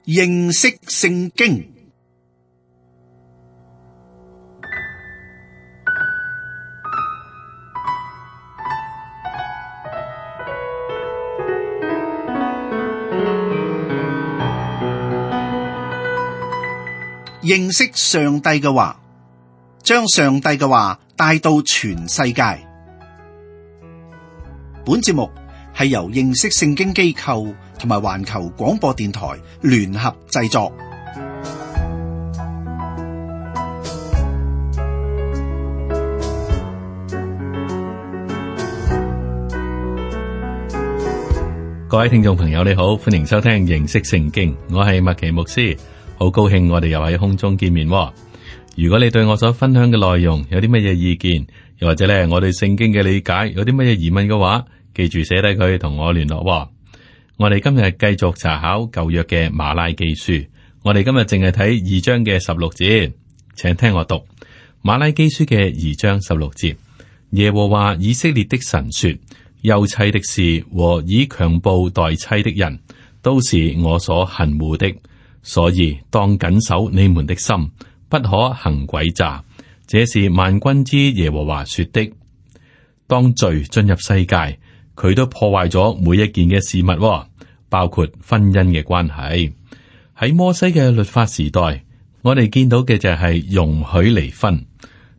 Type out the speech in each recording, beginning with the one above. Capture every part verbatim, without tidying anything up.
認識聖經。認識上帝嘅話，將上帝嘅話帶到全世界。本節目係由認識聖經機構同埋環球廣播電台聯合製作。各位聽眾朋友，你好，歡迎收聽認識聖經，我係麥奇牧師，好高興我哋又喺空中見面。如果你對我所分享嘅內容有啲乜嘢意見，又或者咧我對聖經嘅理解有啲乜嘢疑問嘅話，記住寫低佢同我聯絡。我哋今日繼續查考舊約嘅馬拉基書，我哋今日淨係睇二章嘅十六節，請聽我讀馬拉基書嘅二章十六節。耶和華以色列的神說：休妻的事和以強暴待妻的人，都是我所恨惡的，所以當謹守你們的心，不可行詭詐。這是萬軍之耶和華說的。當罪進入世界，佢都破壞咗每一件嘅事物，包括婚姻嘅關係。喺摩西嘅律法時代，我哋見到嘅就係容許離婚，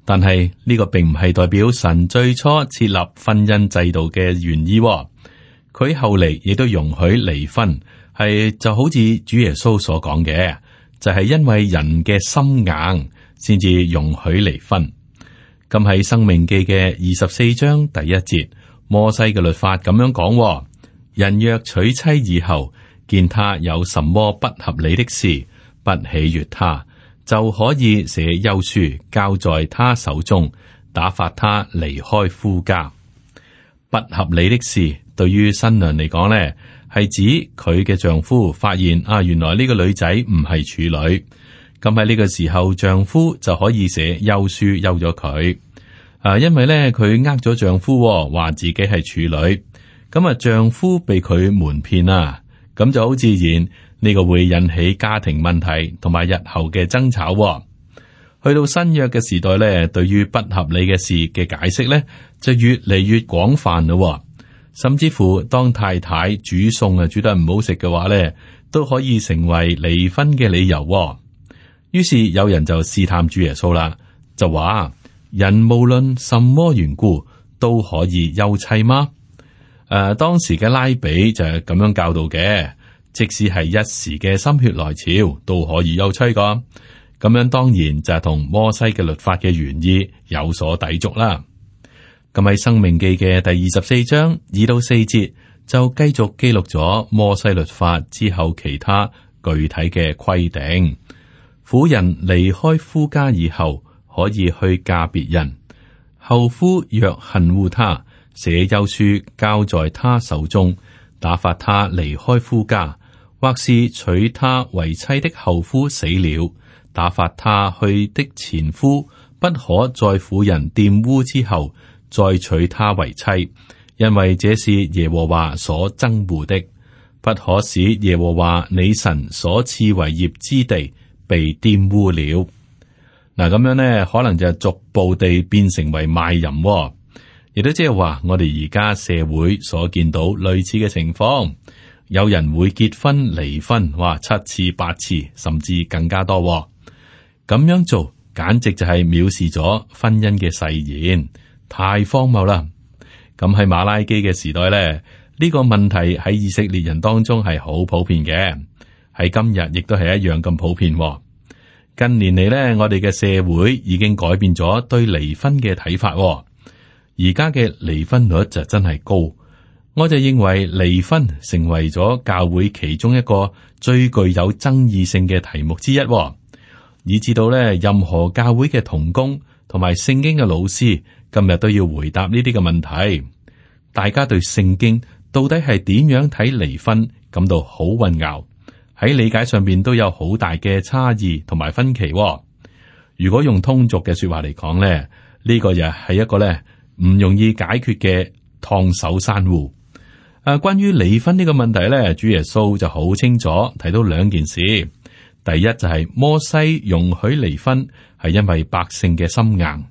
但係呢個並唔係代表神最初設立婚姻制度嘅原意。佢後嚟亦都容許離婚，係就好似主耶穌所講嘅，就係因為人嘅心硬，先至容許離婚。咁喺《申命記》嘅二十四章第一節，摩西嘅律法咁樣講：人若娶妻以後，見他有什麼不合理的事，不喜悅他，就可以寫休書交在他手中，打發他離開夫家。不合理的事對於新娘嚟講呢，係指佢嘅丈夫發現啊，原來呢個女仔唔係處女。咁喺呢個時候，丈夫就可以寫休書休咗佢。啊，因為咧佢呃咗丈夫，話自己係處女。咁啊，丈夫被佢瞞騙啊，咁就好自然呢個會引起家庭問題同埋日後嘅爭吵。去到新約嘅時代咧，對於不合理嘅事嘅解釋咧，就越嚟越廣泛咯。甚至乎當太太煮餸啊煮得唔好食嘅話咧，都可以成為離婚嘅理由。於是有人就試探主耶穌啦，就話：人無論什麼緣故都可以休妻嗎？誒、呃，當時嘅拉比就係咁樣教導嘅，即使係一時嘅心血來潮都可以休妻噶。咁樣當然就係同摩西嘅律法嘅原意有所抵觸啦。咁喺《申命記》嘅第二十四章二到四節就繼續記錄咗摩西律法之後其他具體嘅規定。婦人離開夫家以後，可以去嫁別人。後夫若恨惡他，寫休書交在他手中，打發他離開夫家，或是娶他為妻的後夫死了，打發他去的前夫不可在婦人玷污之後再娶她為妻，因為這是耶和華所憎惡的。不可使耶和華你神所賜為業之地被玷污了。嗱，咁樣呢，可能就逐步地變成為賣淫，亦都即係話我哋而家社會所見到類似嘅情況，有人會結婚離婚，哇，七次八次，甚至更加多。咁樣做簡直就係藐視咗婚姻嘅誓言，太荒謬啦！咁喺馬拉基嘅時代咧，呢個問題喺以色列人當中係好普遍嘅，喺今日亦都係一樣咁普遍。近年嚟咧，我哋嘅社會已經改變咗對離婚嘅睇法。而家嘅離婚率就真係高，我就認為離婚成為咗教會其中一個最具有爭議性嘅題目之一，以至到咧任何教會嘅同工同埋聖經嘅老師今日都要回答呢啲嘅問題。大家對聖經到底係點樣睇離婚感到好混淆，喺理解上邊都有好大嘅差異同埋分歧。如果用通俗嘅說話嚟講咧，呢個又係一個咧唔容易解決嘅燙手山芋。啊，關於離婚呢個問題咧，主耶穌就好清楚提到兩件事。第一就係摩西容許離婚係因為百姓嘅心硬。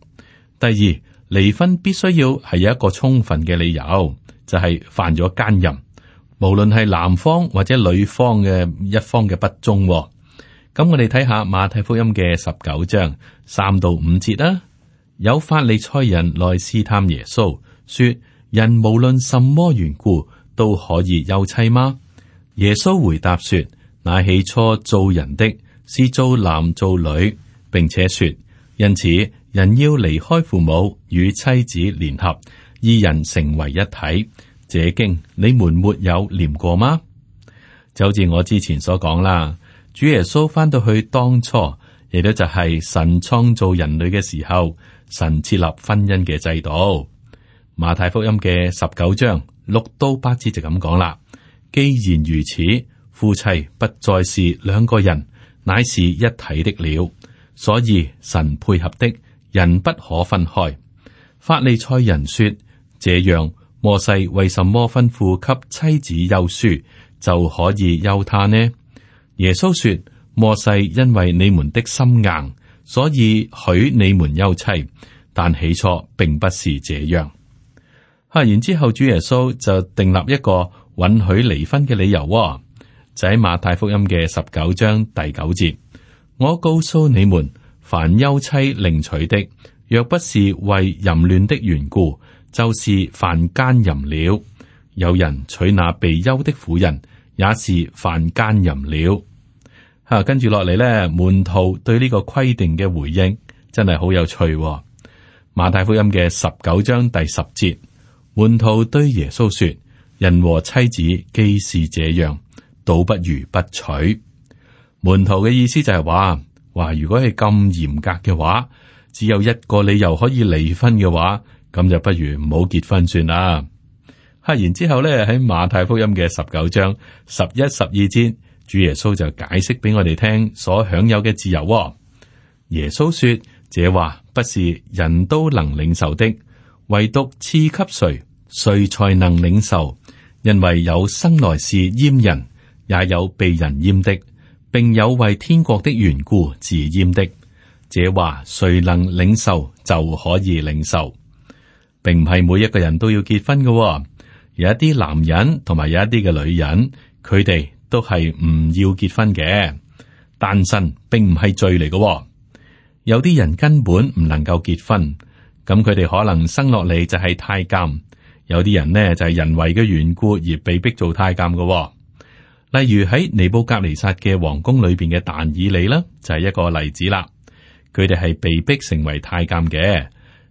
第二，離婚必須要係有一個充分嘅理由，就係、是、犯咗奸淫，無論係男方或者女方嘅一方嘅不忠。咁我哋睇下馬太福音嘅十九章三到五節啦。有法利賽人來試探耶穌，說：人無論什麼緣故都可以休妻嗎？耶穌回答說：那起初造人的是造男造女，並且說，因此人要離開父母與妻子聯合，二人成為一體。這經你們沒有念過嗎？就好似我之前所講啦。主耶穌翻到去當初，亦都就係神創造人類嘅時候，神設立婚姻嘅制度。馬太福音嘅十九章六到八節就咁講啦。既然如此，夫妻不再是兩個人，乃是一體的了。所以神配合的人不可分開。法利賽人說：這樣摩西為什麼吩咐給妻子休書，就可以休她呢？耶穌說：摩西因為你們的心硬，所以許你們休妻，但起初並不是這樣。吓，然之後主耶穌就訂立一個允許離婚嘅理由，就喺馬太福音嘅十九章第九節：我告訴你們，凡休妻另娶的，若不是為淫亂的緣故，就是犯奸淫了。有人娶那被休的婦人，也是犯奸淫了。吓、啊，跟住落嚟咧，門徒對呢個規定嘅回應真係好有趣、哦。馬太福音嘅十九章第十節，門徒對耶穌說：人和妻子既是這樣，倒不如不娶。門徒嘅意思就係話，話如果係咁嚴格嘅話，只有一個理由可以離婚嘅話，咁就不如唔好結婚算啦。吓，然之後咧喺馬太福音嘅十九章十一、十二節，主耶穌就解釋俾我哋聽所享有嘅自由、哦。耶穌說：這話不是人都能領受的，唯獨賜給誰，誰才能領受。因為有生來是閹人，也有被人閹的，並有為天國的緣故自閹的。這話誰能領受，就可以領受。並唔係每一個人都要結婚嘅、哦。有一啲男人同埋有一啲嘅女人，佢哋都係唔要結婚嘅。單身並唔係罪嚟嘅、哦。有啲人根本唔能夠結婚，咁佢哋可能生落嚟就係太監。有啲人呢就係人為嘅緣故而被逼做太監嘅、哦。例如喺尼布甲尼撒嘅皇宮裏邊嘅但以理啦，就係一個例子啦。佢哋係被逼成為太監嘅，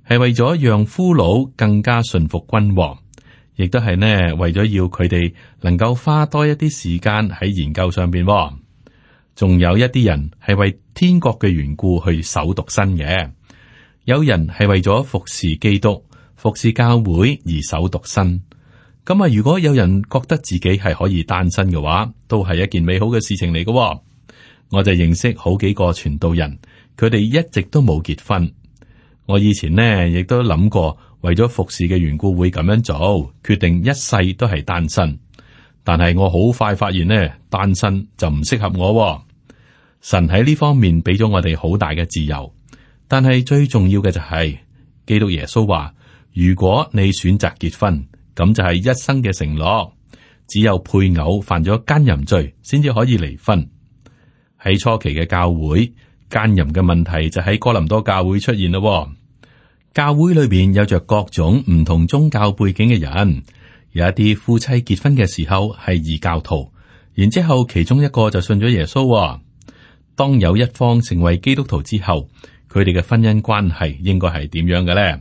係為咗讓俘虜更加順服君王。亦都係呢，為咗要佢哋能夠花多一啲時間喺研究上邊、哦，仲有一啲人係為天國嘅緣故去守獨身嘅，有人係為咗服侍基督、服侍教會而守獨身。咁啊，如果有人覺得自己係可以單身嘅話，都係一件美好嘅事情嚟嘅、哦。我就認識好幾個傳道人，佢哋一直都冇結婚。我以前呢亦都諗過。為咗服侍嘅緣故會咁樣做，決定一世都係單身。但係我好快發現呢，單身就唔適合我、哦。神喺呢方面俾咗我哋好大嘅自由，但係最重要嘅就係、是、基督耶穌話：如果你選擇結婚，咁就係一生嘅承諾。只有配偶犯咗奸淫罪，先至可以離婚。喺初期嘅教會，奸淫嘅問題就喺哥林多教會出現咯、哦。教會裏邊有着各種唔同宗教背景嘅人，有一啲夫妻結婚嘅時候係異教徒，然之後其中一個就信咗耶穌、哦。當有一方成為基督徒之後，佢哋嘅婚姻關係應該係點樣嘅咧？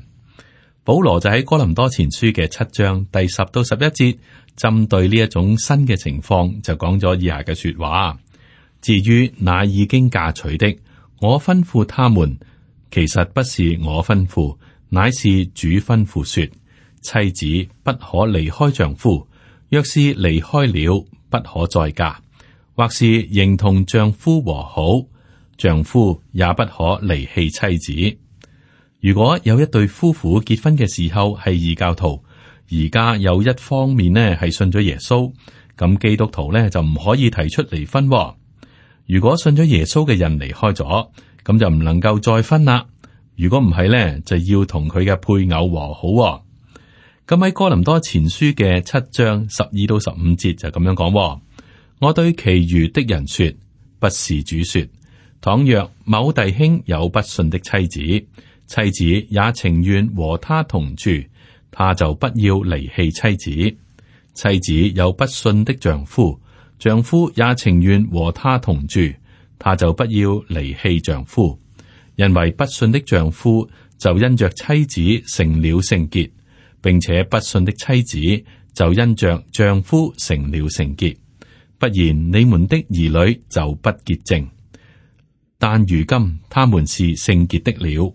保羅就喺哥林多前書嘅七章第十到十一節，針對呢一種新嘅情況，就講咗以下嘅說話。至於那已經嫁娶的，我吩咐他們。其實不是我吩咐，乃是主吩咐說：妻子不可離開丈夫，若是離開了，不可再嫁；或是仍同丈夫和好，丈夫也不可離棄妻子。如果有一對夫婦結婚嘅時候係異教徒，而家有一方面呢係信咗耶穌，咁基督徒呢就唔可以提出離婚喎。如果信咗耶穌嘅人離開咗，咁就唔能夠再婚啦。如果唔係呢，就要同佢嘅配偶和好喎。咁喺哥林多前書嘅七章十二到十五節就咁樣講喎：我對其餘的人說，不是主說，倘若某弟兄有不信的妻子，妻子也情願和他同住，他就不要離棄妻子；妻子有不信的丈夫，丈夫也情願和他同住，他就不要離棄丈夫。因為不信的丈夫就因着妻子成了聖潔，並且不信的妻子就因着丈夫成了聖潔。不然你們的兒女就不潔淨，但如今他們是聖潔的了。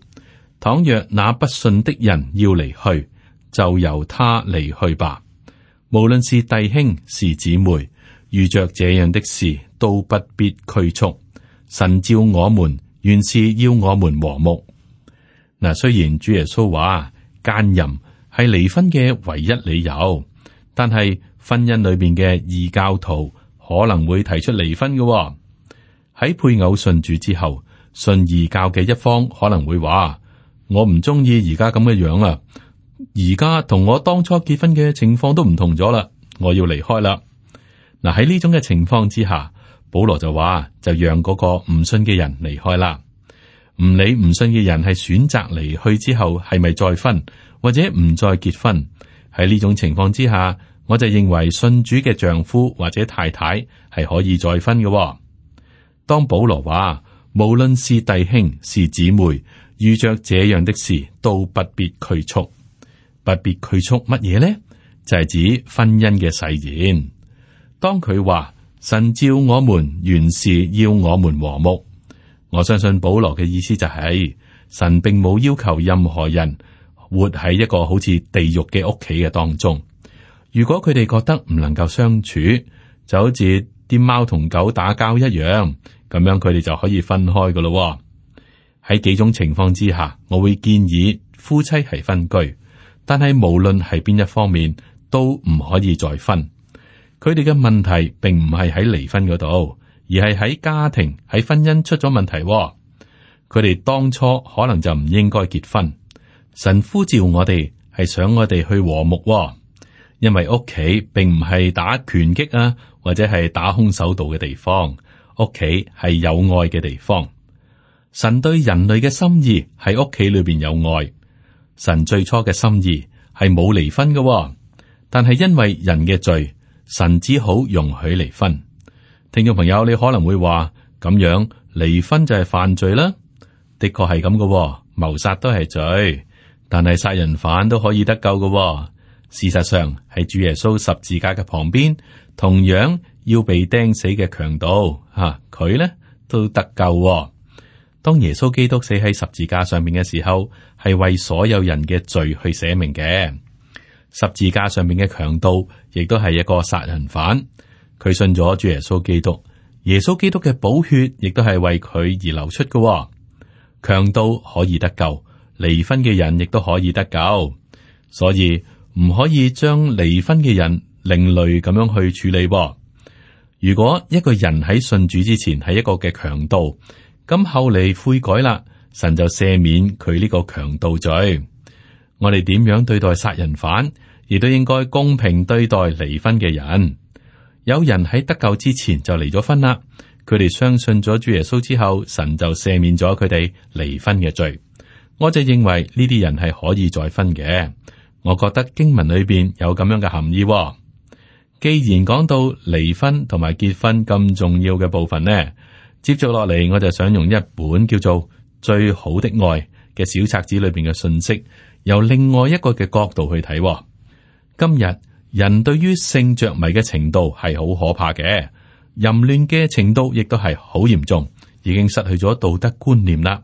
倘若那不信的人要離去，就由他離去吧。無論是弟兄是姊妹，遇着這樣的事都不必拘束。神召我們，原是要我們和睦。嗱，雖然主耶穌話奸淫係離婚嘅唯一理由，但係婚姻裏邊嘅異教徒可能會提出離婚嘅喎。喺配偶信主之後，信異教嘅一方可能會話：我唔中意而家咁嘅樣啊，而家同我當初結婚嘅情況都唔同咗啦，我要離開啦。嗱，喺呢種嘅情況之下，保羅就話就讓嗰個唔信嘅人離開啦。唔理唔信嘅人係選擇離去之後係咪再婚或者唔再結婚，喺呢種情況之下，我就認為信主嘅丈夫或者太太係可以再婚嘅喎。當保羅話無論是弟兄是姊妹，遇着這樣的事都不必拘束，不必拘束乜嘢呢？就係指婚姻嘅誓言。當佢話神召我們，原是要我們和睦，我相信保羅嘅意思就係神並冇要求任何人活喺一個好似地獄嘅屋企嘅當中。如果佢哋覺得唔能夠相處，就好似啲貓同狗打交一樣，咁樣佢哋就可以分開噶咯。喺幾種情況之下，我會建議夫妻係分居，但係無論係邊一方面都唔可以再分。佢哋嘅問題並唔係喺離婚嗰度，而係喺家庭喺婚姻出咗問題。佢哋當初可能就唔應該結婚。神呼召我哋係想我哋去和睦，因為屋企並唔係打拳擊啊，或者係打空手道嘅地方，屋企係有愛嘅地方。神對人類嘅心意喺屋企裏邊有愛。神最初嘅心意係冇離婚嘅，但係因為人嘅罪，神只好容許離婚。聽眾朋友，你可能會話咁樣離婚就係犯罪啦。的確係咁嘅，謀殺都係罪，但係殺人犯都可以得救嘅。事實上，喺主耶穌十字架嘅旁邊，同樣要被釘死嘅強盜吓，佢、啊、咧都得救。當耶穌基督死喺十字架上面嘅時候，係為所有人嘅罪去捨命嘅。十字架上面嘅強盜亦都係一個殺人犯，佢信咗主耶穌基督，耶穌基督嘅寶血亦都係為佢而流出嘅。強盜可以得救，離婚嘅人亦都可以得救，所以唔可以將離婚嘅人另類咁樣去處理。如果一個人喺信主之前係一個嘅強盜，咁後嚟悔改啦，神就赦免佢呢個強盜罪。我哋點樣對待殺人犯，亦都應該公平對待離婚嘅人。有人喺得救之前就離咗婚啦，佢哋相信咗主耶穌之後，神就赦免咗佢哋離婚嘅罪。我就認為呢啲人係可以再婚嘅。我覺得經文裏邊有咁樣嘅含義喎。既然講到離婚同埋結婚咁重要嘅部分呢，接續落嚟我就想用一本叫做《最好的愛》嘅小冊子裏邊嘅信息，由另外一個嘅角度去睇喎。今日人對於性着迷嘅程度係好可怕嘅，淫亂嘅程度亦都係好嚴重，已經失去咗道德觀念啦。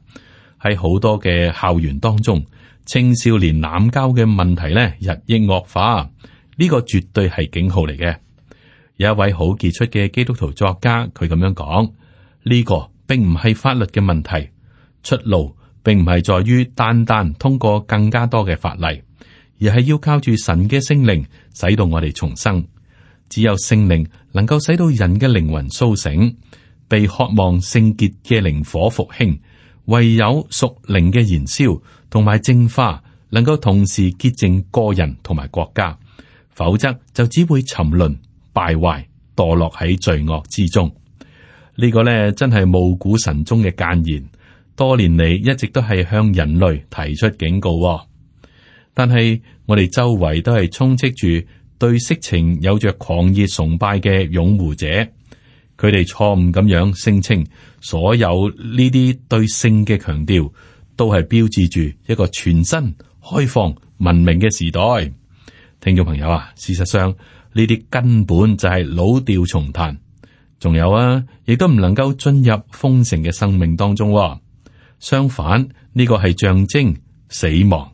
喺好多嘅校園當中，青少年濫交嘅問題呢日益惡化，呢個絕對係警號嚟嘅。有一位好傑出嘅基督徒作家，佢咁樣講：呢個並唔係法律嘅問題，出路並唔係在於單單通過更加多嘅法例，而而係要靠住神嘅聖靈，使到我哋重生。只有聖靈能夠使到人嘅靈魂甦醒，被渴望聖潔嘅靈火復興。唯有屬靈嘅燃燒同埋淨化，能夠同時潔淨個人同埋國家，否則就只會沉淪、敗壞、墮落喺罪惡之中。呢個呢，真係暮鼓晨鐘嘅諫言，多年嚟一直都係向人類提出警告。但係我哋周圍都係充斥住對色情有着狂熱崇拜嘅擁護者，佢哋錯誤咁樣聲稱所有呢啲對性嘅強調都係標誌住一個全新、開放、文明嘅時代。聽眾朋友啊，事實上呢啲根本就係老調重彈。仲有啊，亦都唔能夠進入豐盛嘅生命當中。相反，呢個係象徵死亡，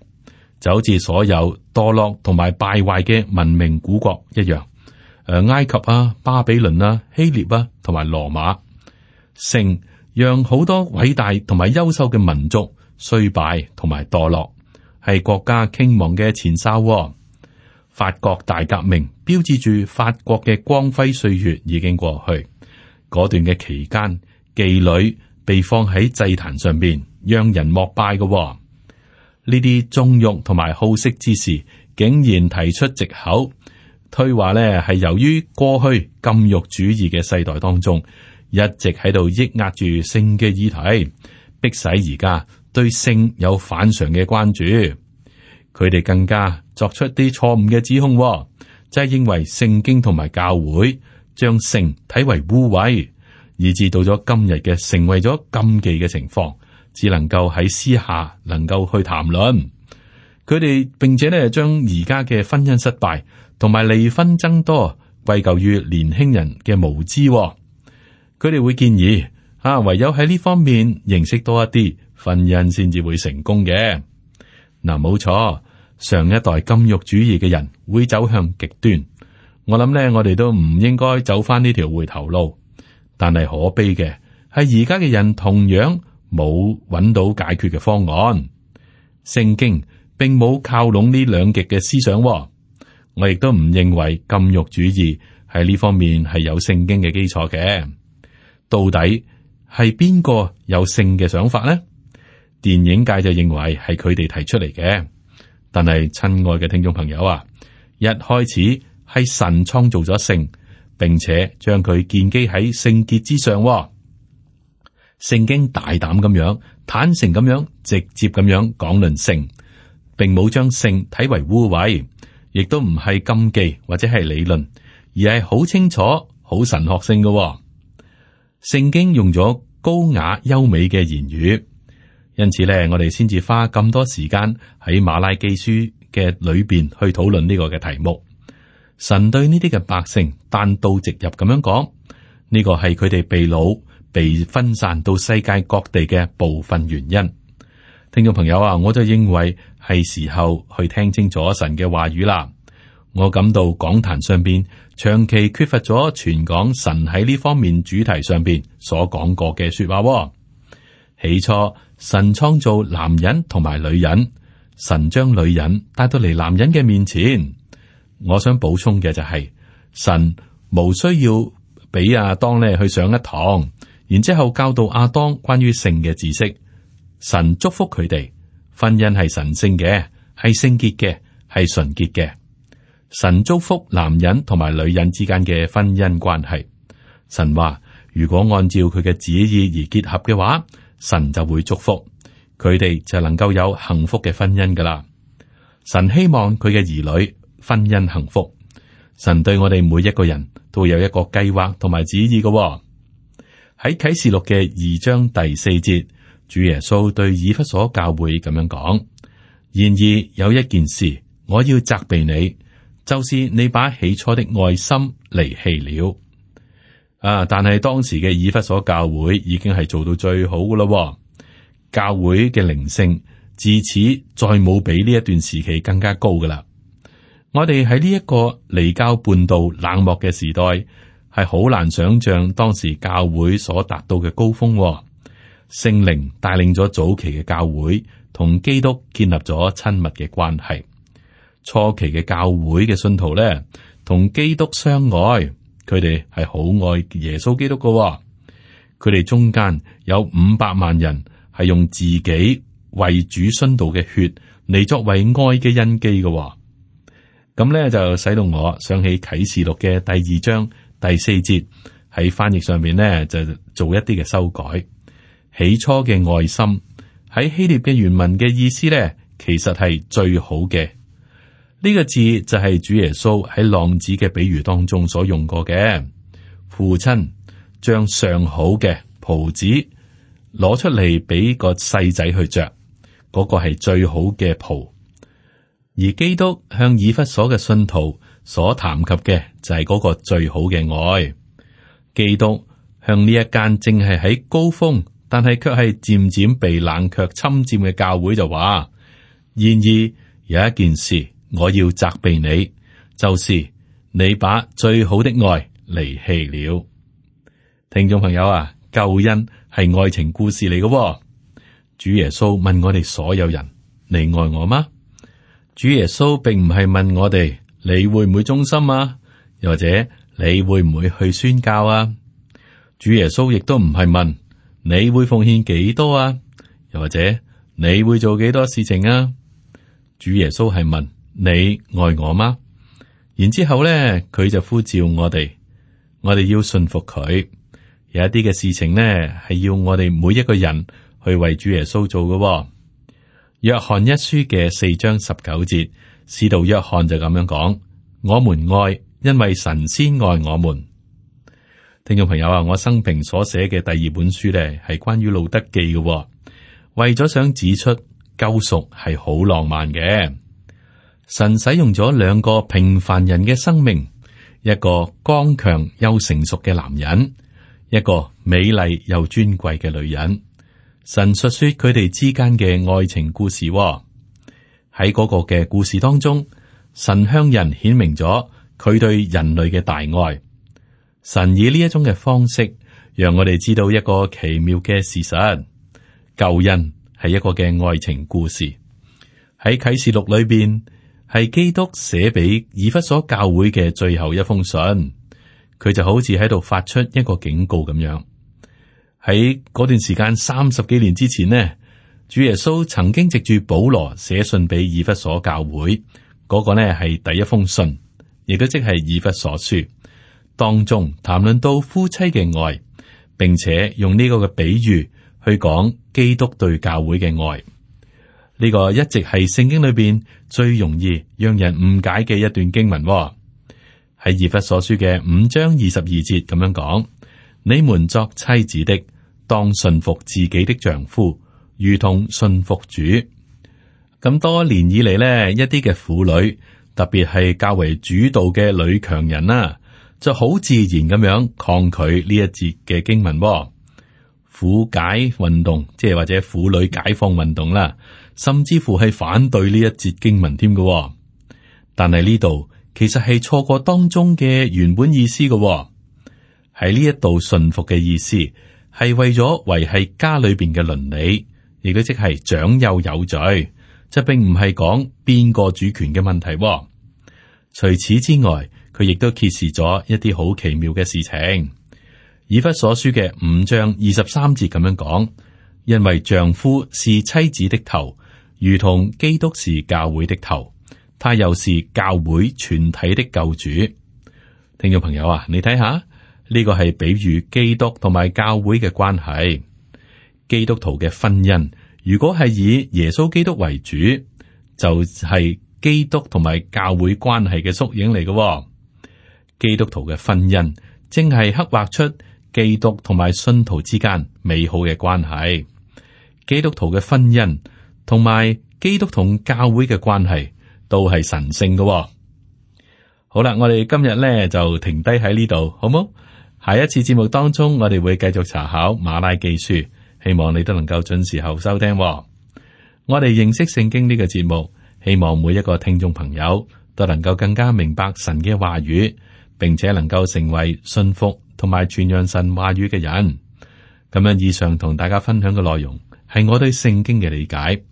就好似所有墮落同埋敗壞嘅文明古國一樣。誒，埃及啊、巴比倫啊、希臘啊同埋羅馬，性讓好多偉大同埋優秀嘅民族衰敗同埋墮落，係國家傾亡嘅前哨。法國大革命標誌住法國嘅光輝歲月已經過去。嗰段嘅期間，妓女被放喺祭壇上邊，讓人膜拜嘅。呢啲縱慾同埋好色之事，竟然提出藉口，推話呢係由於過去禁欲主義嘅世代當中，一直喺度抑壓住性嘅議題，迫使而家對性有反常嘅關注。佢哋更加作出啲錯誤嘅指控，就係認為聖經同埋教會將性睇為污穢，以致到咗今日嘅成為咗禁忌嘅情況，只能夠喺私下能夠去談論。佢哋並且咧將而家嘅婚姻失敗同埋離婚增多歸咎於年輕人嘅無知。佢哋會建議啊，唯有喺呢方面認識多一啲，婚姻先至會成功嘅。嗱，冇錯，上一代禁欲主義嘅人會走向極端。我諗咧，我哋都唔應該走翻呢條回頭路。但係可悲嘅係，而家嘅人同樣冇揾到解決嘅方案。聖經並冇靠攏呢兩極嘅思想。我亦都唔認為禁欲主義喺呢方面係有聖經嘅基礎嘅。到底係邊個有性嘅想法呢？電影界就認為係佢哋提出嚟嘅。但係親愛嘅聽眾朋友啊，一開始係神創造咗性，並且將佢建基喺聖潔之上。聖經大膽咁樣、坦誠咁樣、直接咁樣講論性，並冇將性睇為污穢，亦都唔係禁忌或者係理論，而係好清楚、好神學性嘅。聖經用咗高雅優美嘅言語，因此咧，我哋先至花咁多時間喺馬拉基書嘅裏邊去討論呢個嘅題目。神對呢啲嘅百姓單刀直入咁樣講，呢個係佢哋被擄、被分散到世界各地嘅部分原因。聽眾朋友啊，我就認為係時候去聽清楚神嘅話語啦。我感到講壇上邊長期缺乏咗傳講神喺呢方面主題上邊所講過嘅說話。起初神創造男人同埋女人，神將女人帶到嚟男人嘅面前。我想補充嘅就係、是、神無需要俾亞當咧去上一堂，然之後教導亞當關於性嘅知識。神祝福佢哋，婚姻係神聖嘅，係聖潔嘅，係純潔嘅。神祝福男人同埋女人之間嘅婚姻關係。神話如果按照佢嘅旨意而結合嘅話，神就會祝福佢哋，就能夠有幸福嘅婚姻噶啦。神希望佢嘅兒女婚姻幸福。神對我哋每一個人都有一個計劃同埋旨意嘅、哦。喺啟示錄嘅二章第四節，主耶穌對以弗所教會咁樣講：然而有一件事，我要責備你，就是你把起初的愛心離棄了。啊！但係當時嘅以弗所教會已經係做到最好噶咯。教會嘅靈性自此再冇比呢一段時期更加高噶啦。我哋喺呢一個離教叛道冷漠嘅時代，係好難想象當時教會所達到嘅高峰。聖靈帶領咗早期嘅教會同基督建立咗親密嘅關係。初期嘅教會嘅信徒咧，同基督相愛，佢哋係好愛耶穌基督嘅、哦。佢哋中間有五百萬人係用自己為主殉道嘅血嚟作為愛嘅印記嘅、哦。咁咧就使到我想起啟示錄嘅第二章第四節，喺翻譯上面咧就做一啲嘅修改。起初嘅愛心喺希臘嘅原文嘅意思咧，其實係最好嘅。呢個字就係主耶穌喺浪子嘅比喻當中所用過嘅。父親將上好嘅袍子攞出嚟俾個細仔去着，嗰個係最好嘅袍。而基督向以弗所嘅信徒所談及嘅就係嗰個最好嘅愛。基督向呢一間正係喺高峰，但係卻係漸漸被冷卻侵佔嘅教會就話：然而有一件事。我要責備你，就是你把最好的愛離棄了。聽眾朋友啊，救恩係愛情故事嚟嘅、哦。主耶穌問我哋所有人：你愛我嗎？主耶穌並唔係問我哋你會唔會忠心啊，又或者你會唔會去宣教啊？主耶穌亦都唔係問你會奉獻幾多啊，又或者你會做幾多事情啊？主耶穌係問。你愛我嗎？然之後咧，佢就呼召我哋，我哋要信服佢。有一啲嘅事情呢，係要我哋每一個人去為主耶穌做嘅、哦。約翰一書嘅四章十九節，使徒約翰就咁樣講：我們愛，因為神先愛我們。聽眾朋友啊，我生平所寫嘅第二本書咧，係關於路德記嘅、哦，為咗想指出救贖係好浪漫嘅。神使用咗兩個平凡人嘅生命，一個剛強又成熟嘅男人，一個美麗又尊貴嘅女人。神述說佢哋之間嘅愛情故事、哦。喺嗰個嘅故事當中，神向人顯明咗佢對人類嘅大愛。神以呢一種嘅方式，讓我哋知道一個奇妙嘅事實：救恩係一個嘅愛情故事。喺啟示錄裏邊，係基督寫俾以弗所教會嘅最後一封信，佢就好似喺度發出一個警告咁樣。喺嗰段時間三十幾年之前呢，主耶穌曾經藉住保羅寫信俾以弗所教會，嗰、那個呢係第一封信，亦都即係以弗所書，當中談論到夫妻嘅愛，並且用呢個嘅比喻去講基督對教會嘅愛。呢個一直係聖經裏邊最容易讓人誤解嘅一段經文、哦，喺以弗所書嘅五章二十二節咁樣講：你們作妻子的，當順服自己的丈夫，如同順服主。咁多年以嚟呢，一啲嘅婦女，特別係較為主導嘅女強人啦、啊，就好自然咁樣抗拒呢一節嘅經文、哦。婦解運動，即係或者婦女解放運動啦。甚至乎係反對呢一節經文添嘅，但係呢度其實係錯過當中嘅原本意思嘅。喺呢一度順服嘅意思係為咗維繫家裏邊嘅倫理，亦都即係長幼有序，即並唔係講邊個主權嘅問題。除此之外，佢亦都揭示咗一啲好奇妙嘅事情。以弗所書嘅五章二十三節咁樣講：因為丈夫是妻子的頭，如同基督是教會的頭，他又是教會全體的救主。聽眾朋友啊，你睇下呢個係比喻基督同埋教會嘅關係。基督徒嘅婚姻如果係以耶穌基督為主，就係、是、基督同埋教會關係嘅縮影嚟嘅。基督徒嘅婚姻正係刻畫出基督同埋信徒之間美好嘅關係。基督徒嘅婚姻同埋基督同教會嘅關係都係神聖嘅、哦。好啦，我哋今日咧就停低喺呢度，好冇？下一次節目當中，我哋會繼續查考馬拉記書，希望你都能夠準時候收聽、哦。我哋認識聖經呢個節目，希望每一個聽眾朋友都能夠更加明白神嘅話語，並且能夠成為信服同埋傳揚神話語嘅人。咁樣以上同大家分享嘅內容係我對聖經嘅理解。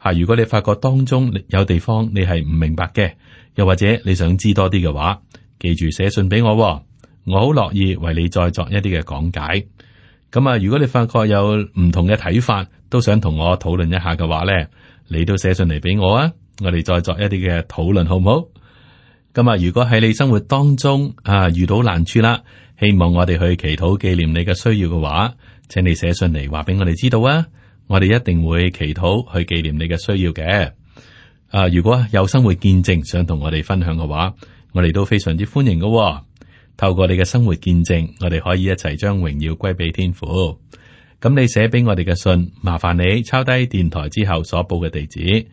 吓，如果你發覺當中有地方你係唔明白嘅，又或者你想知多啲嘅話，記住寫信俾我，我好樂意為你再作一啲嘅講解。咁啊，如果你發覺有唔同嘅睇法，都想同我討論一下嘅話咧，你都寫信嚟俾我啊，我哋再作一啲嘅討論，好唔好？咁啊，如果喺你生活當中啊遇到難處啦，希望我哋去祈禱紀念你嘅需要嘅話，請你寫信嚟話俾我哋知道啊。我哋一定會祈禱去紀念你嘅需要嘅。啊，如果有生活見證想同我哋分享嘅話，我哋都非常之歡迎嘅，哦。透過你嘅生活見證，我哋可以一齊將榮耀歸俾天父。咁你寫俾我哋嘅信，麻煩你抄低電台之後所報嘅地址，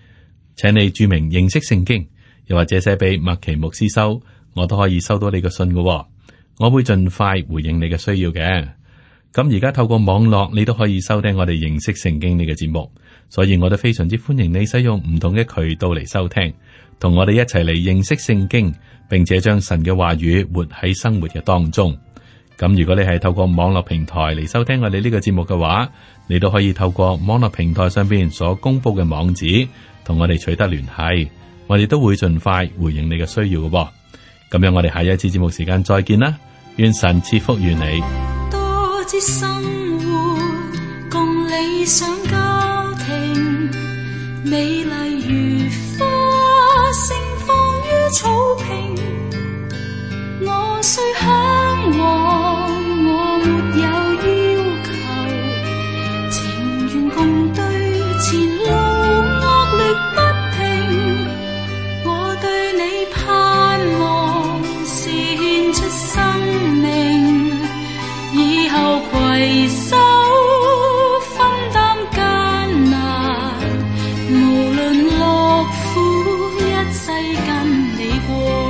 請你注明認識聖經，又或者寫俾麥奇牧師收，我都可以收到你嘅信嘅，哦。我會盡快回應你嘅需要嘅。咁而家透過網絡，你都可以收聽我哋認識聖經呢個節目，所以我都非常之歡迎你使用唔同嘅渠道嚟收聽，同我哋一齊嚟認識聖經，並且將神嘅話語活喺生活嘅當中。咁如果你係透過網絡平台嚟收聽我哋呢個節目嘅話，你都可以透過網絡平台上邊所公布嘅網址，同我哋取得聯繫，我哋都會盡快回應你嘅需要嘅噃。咁樣我哋下一次節目時間再見啦，願神賜福於你。多姿生活，共理想家庭，美麗如花盛放於草坪。我雖向往，我沒有要求，情願共對前路惡劣不平。我對你盼望是獻出生命，以後攜手分擔艱難，無論樂苦，一世跟你過。